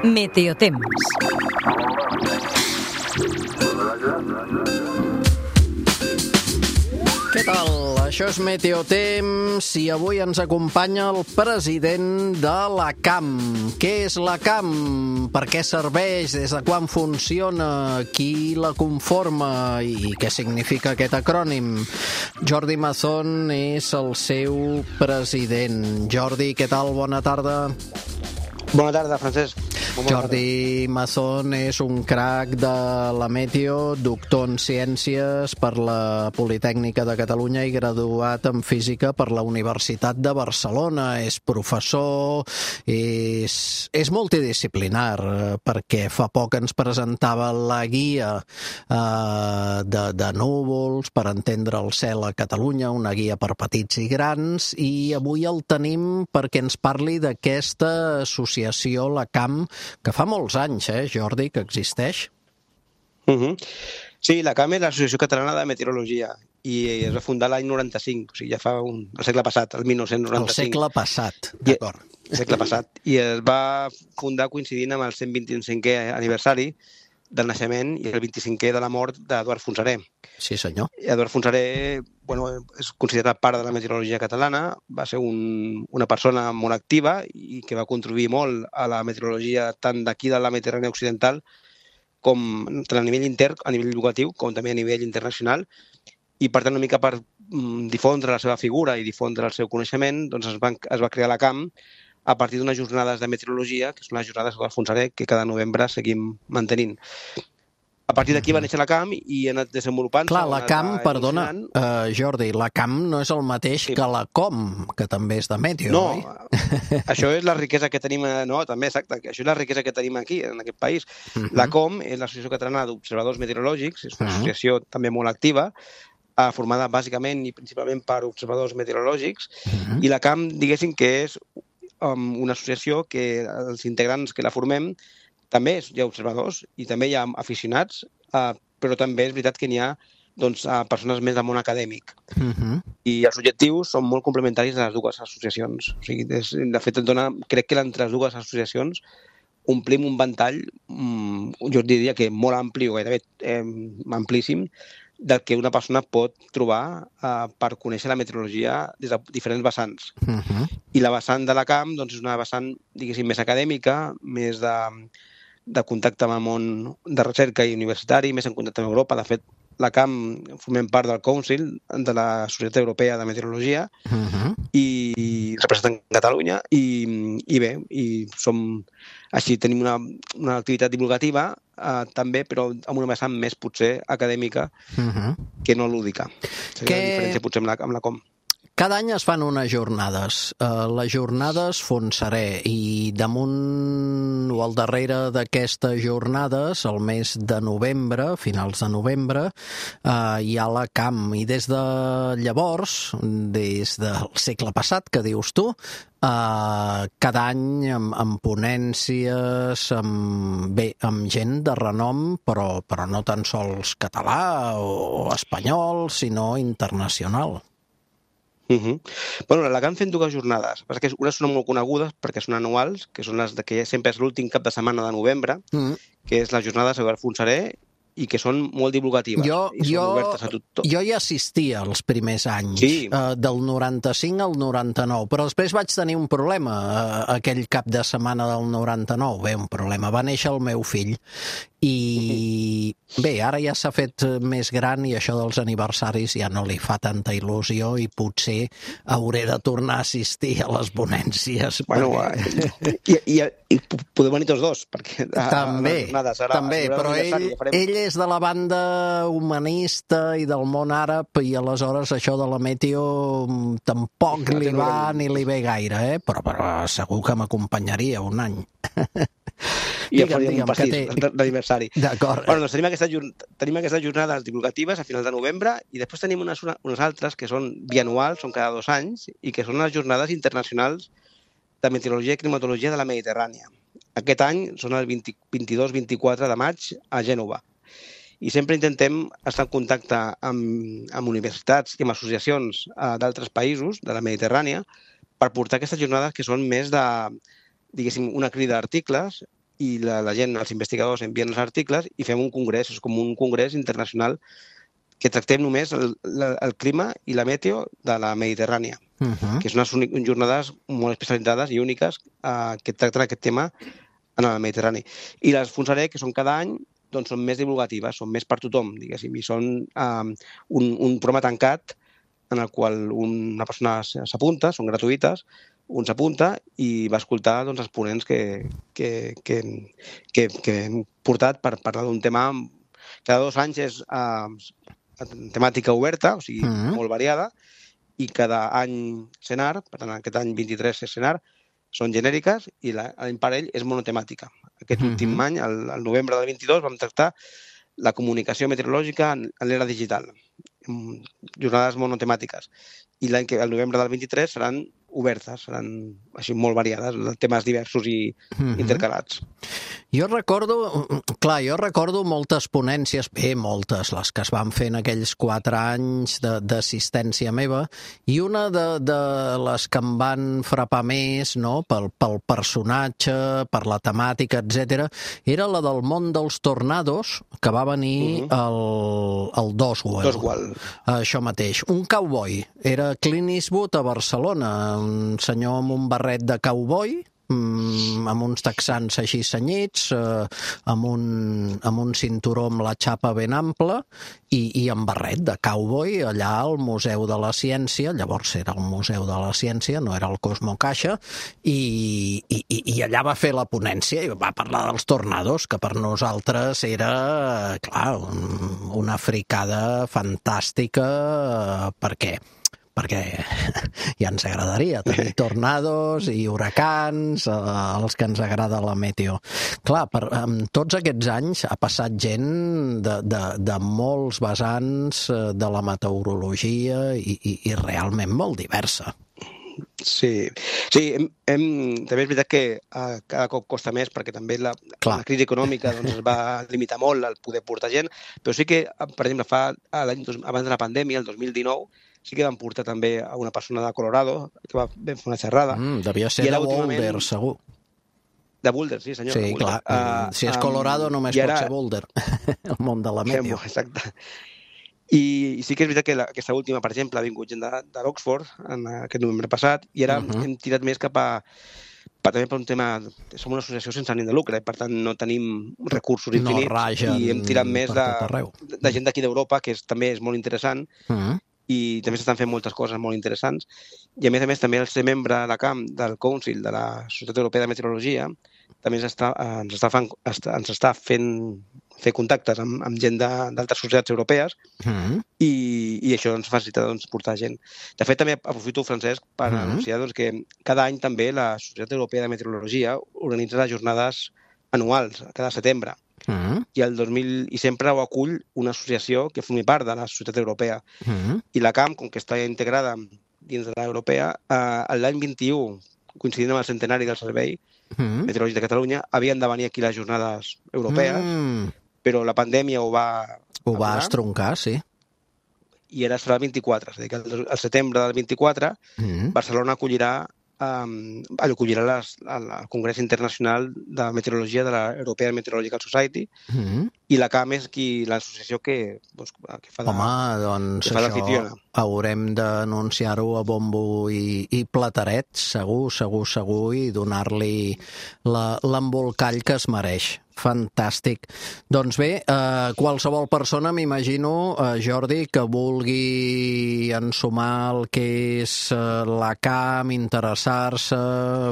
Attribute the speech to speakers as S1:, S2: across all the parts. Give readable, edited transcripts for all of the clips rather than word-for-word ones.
S1: Meteotemps.
S2: Què tal? Això és Meteotemps i avui ens acompanya el president de la CAM. Què és la CAM? Per què serveix? Des de quan funciona? Qui la conforma? I què significa aquest acrònim? Jordi Mazón és el seu president. Jordi, què tal? Bona tarda.
S3: Bona tarda, Francesc.
S2: Jordi Mazón és un crac de la Meteo, doctor en Ciències per la Politècnica de Catalunya i graduat en Física per la Universitat de Barcelona. És professor, és multidisciplinar, perquè fa poc ens presentava la guia de núvols per entendre el cel a Catalunya, una guia per petits i grans, i avui el tenim perquè ens parli d'aquesta associació, la CAM, que fa molts anys, Jordi, que existeix.
S3: Sí, la CAM és l'Associació Catalana de Meteorologia i es va fundar l'any 95, o sigui, ja fa el segle passat, el 1995.
S2: El segle passat, d'acord.
S3: El segle passat. I es va fundar coincidint amb el 125è aniversari del naixement i el 25è de la mort d'Eduard Fontserè.
S2: Sí, senyor.
S3: Eduard Fontserè és considerat part de la meteorologia catalana, va ser una persona molt activa i que va contribuir molt a la meteorologia tant d'aquí de la Mediterrània occidental com tant a nivell intern, a nivell educatiu, com també a nivell internacional. I per tant, una mica per difondre la seva figura i difondre el seu coneixement, doncs es va crear la CAM a partir d'unes jornades de meteorologia, que són les jornades d'Eduard Fontserè, que cada novembre seguim mantenint. A partir d'aquí va néixer la CAM i ha anat desenvolupant-se.
S2: Clar, la CAM, perdona, Jordi, la CAM no és el mateix que la COM, que també és de Meteo, oi?
S3: No, això és la riquesa que tenim... No, també, exacte, això és la riquesa que tenim aquí, en aquest país. La COM és l'Associació Catalana d'Observadors Meteorològics, és una associació també molt activa, formada bàsicament i principalment per observadors meteorològics, i la CAM, diguéssim que és una associació que els integrants que la formem també hi ha observadors i també hi ha aficionats, però també és veritat que n'hi ha persones més del món acadèmic. I els objectius són molt complementaris de les dues associacions. O sigui, de fet, crec que entre les dues associacions omplim un ventall, jo diria que molt ampli o gairebé amplíssim, del que una persona pot trobar per conèixer la meteorologia des de diferents vessants. I la vessant de la CAM és una vessant, diguéssim, més acadèmica, més de contacte amb el món de recerca i universitari, més en contacte amb Europa. De fet, la CAM formem part del Council de la Societat Europea de Meteorologia i representem Catalunya i bé, així tenim una activitat divulgativa també, però amb una vessant més potser acadèmica que no lúdica. Seria la diferència potser amb la COM.
S2: Cada any es fan unes jornades, les jornades Fontserè, i damunt o al darrere d'aquestes jornades, el mes de novembre, finals de novembre, hi ha la CAM. I des de llavors, des del segle passat, que dius tu, cada any amb ponències, amb gent de renom, però no tan sols català o espanyol, sinó internacional.
S3: Bueno, la CAM fem dues jornades. Unes són molt conegudes perquè són anuals, que són les que sempre és l'últim cap de setmana de novembre, que és la jornada de Eduard Fontserè, i que són molt divulgatives.
S2: Jo hi assistia els primers anys, del 95 al 99, però després vaig tenir un problema aquell cap de setmana del 99. Bé, un problema. Va néixer el meu fill i bé, ara ja s'ha fet més gran i això dels aniversaris ja no li fa tanta il·lusió i potser hauré de tornar a assistir a les ponències.
S3: Bueno, i podem venir tots dos, perquè
S2: també, però ell és de la banda humanista i del món àrab i aleshores això de la meteo tampoc li va ni li ve gaire, però segur que m'acompanyaria un any.
S3: I ja faríem un pastís d'aniversari.
S2: D'acord.
S3: Bueno, doncs tenim aquestes jornades divulgatives a finals de novembre i després tenim unes altres que són bianuals, són cada 2 anys, i que són les jornades internacionals de meteorologia i climatologia de la Mediterrània. Aquest any són el 22-24 de maig a Gènova. I sempre intentem estar en contacte amb universitats i amb associacions d'altres països de la Mediterrània per portar aquestes jornades que són més de, diguéssim, una crida d'articles i la gent, els investigadors envien els articles i fem un congrés, és com un congrés internacional que tractem només el clima i la meteo de la Mediterrània, que són unes jornades molt especialitzades i úniques que tracten aquest tema en el Mediterrani. I les Fonsarec, que són cada any, doncs són més divulgatives, són més per tothom, diguéssim, i són un programa tancat en el qual una persona s'apunta, són gratuïtes, un s'apunta i va escoltar els ponents que hem portat per parlar d'un tema. Cada 2 anys és temàtica oberta, o sigui, molt variada, i cada any Senar, per tant, aquest any 23 és Senar, són genèriques i l'any parell és monotemàtica. Aquest últim any, al novembre del 22, vam tractar la comunicació meteorològica en l'era digital, jornades monotemàtiques. I el novembre del 23 seran obertes, seran així molt variades, temes diversos i intercalats.
S2: Jo recordo moltes ponències, moltes, les que es van fer en aquells 4 anys d'assistència meva, i una de les que em van frapar més, no?, pel personatge, per la temàtica, etc., era la del món dels tornados, que va venir el Doswell. Això mateix. Un cowboy. Era Clint Eastwood a Barcelona, un senyor amb un barret de cowboy, amb uns texans així senyits, amb un cinturó amb la xapa ben ampla i amb barret de cowboy allà al Museu de la Ciència. Llavors era el Museu de la Ciència, no era el Cosmo Caixa, i allà va fer la ponència i va parlar dels tornados, que per nosaltres era, clar, una fricada fantàstica. Per què? Perquè ja ens agradaria tenir tornados i huracans, els que ens agrada la meteo. Clar, tots aquests anys ha passat gent de molts vessants de la meteorologia i realment molt diversa.
S3: Sí, també és veritat que cada cop costa més perquè també la crisi econòmica es va limitar molt al poder portar gent, però sí que, per exemple, abans de la pandèmia, el 2019, sí que van portar també a una persona de Colorado que va fer una xerrada.
S2: Devia ser de Boulder, segur.
S3: De Boulder, sí, senyor.
S2: Sí, clar. Si és Colorado només pot ser Boulder, el món de la meteo.
S3: Exacte. I sí que és veritat que aquesta última, per exemple, ha vingut gent de l'Oxford en aquest novembre passat i ara hem tirat més cap a també per un tema, som una associació sense ànim de lucre, per tant no tenim recursos infinits i hem tirat més de gent d'aquí d'Europa, que també és molt interessant i també s'estan fent moltes coses molt interessants. I a més també el ser membre de la CAM, del Council, de la Societat Europea de Meteorologia, també ens està fent fer contactes amb gent d'altres societats europees i això ens facilita portar gent. De fet, també aprofito, Francesc, per anunciar que cada any també la Societat Europea de Meteorologia organitza les jornades anuals, cada setembre. I sempre ho acull una associació que formi part de la Societat Europea. I la CAM, com que està integrada dins de l'europea, l'any 21, coincidint amb el centenari del Servei Meteorològic de Catalunya, havien de venir aquí les jornades europees, però la pandèmia ho va
S2: estroncar, sí.
S3: I ara serà el 24, és a dir, que al setembre del 24 Barcelona acollirà el Congrés Internacional de Meteorologia de l'European Meteorological Society i la CAM és l'associació que fa de...
S2: Home, doncs això haurem d'anunciar-ho a bombo i plateret, segur, i donar-li l'embolcall que es mereix. Fantàstic. Doncs bé, qualsevol persona, m'imagino, Jordi, que vulgui ensumar el que és la CAM, interessar-se,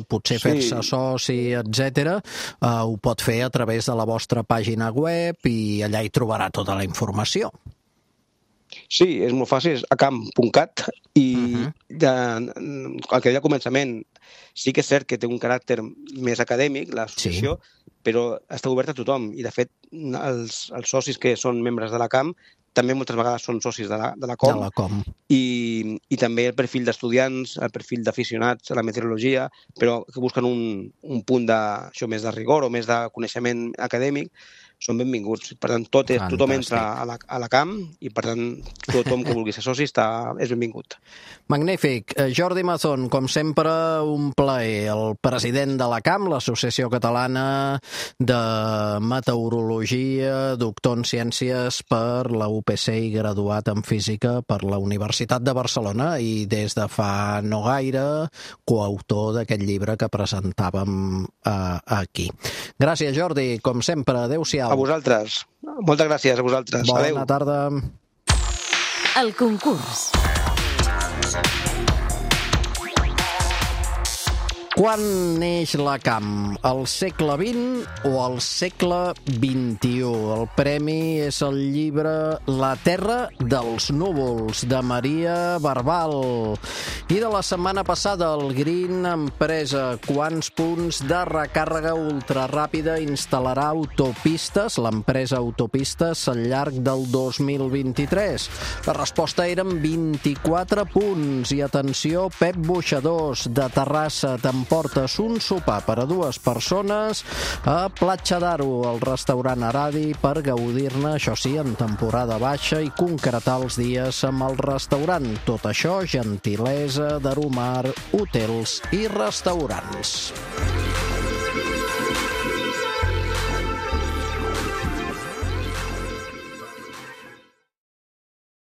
S2: potser fer-se soci, etc., ho pot fer a través de la vostra pàgina web i allà hi trobarà tota la informació.
S3: Sí, és molt fàcil, és acamp.cat i el que deia al començament, sí que és cert que té un caràcter més acadèmic, l'associació, però està oberta a tothom i, de fet, els socis que són membres de la CAM també moltes vegades són socis de la COM. I també el perfil d'estudiants, el perfil d'aficionats a la meteorologia, però que busquen un punt més de rigor o més de coneixement acadèmic, són benvinguts. Per tant, tothom entra a la CAM i, per tant, tothom que vulgui ser soci és benvingut.
S2: Magnífic. Jordi Mazón, com sempre, un plaer. El president de la CAM, l'Associació Catalana de Meteorologia, doctor en Ciències per la UPC i graduat en Física per la Universitat de Barcelona i des de fa no gaire coautor d'aquest llibre que presentàvem aquí. Gràcies, Jordi, com sempre. Adéu-siau.
S3: A vosaltres. Moltes gràcies a vosaltres.
S2: Bona tarda.
S1: El concurs.
S2: Quan neix la CAM? Al segle XX o al segle XXI? El premi és el llibre La Terra dels Núvols, de Maria Barbal. I de la setmana passada, el Green, empresa. Quants punts de recàrrega ultraràpida instal·larà autopistes, l'empresa Autopistes, al llarg del 2023? La resposta eren 24 punts. I atenció, Pep Boixadors, de Terrassa, t'emportes un sopar per a 2 persones a Platja d'Aro, al restaurant Aradi, per gaudir-ne, això sí, en temporada baixa i concretar els dies amb el restaurant. Tot això, gentilesa d'Aromar Hotels i Restaurants.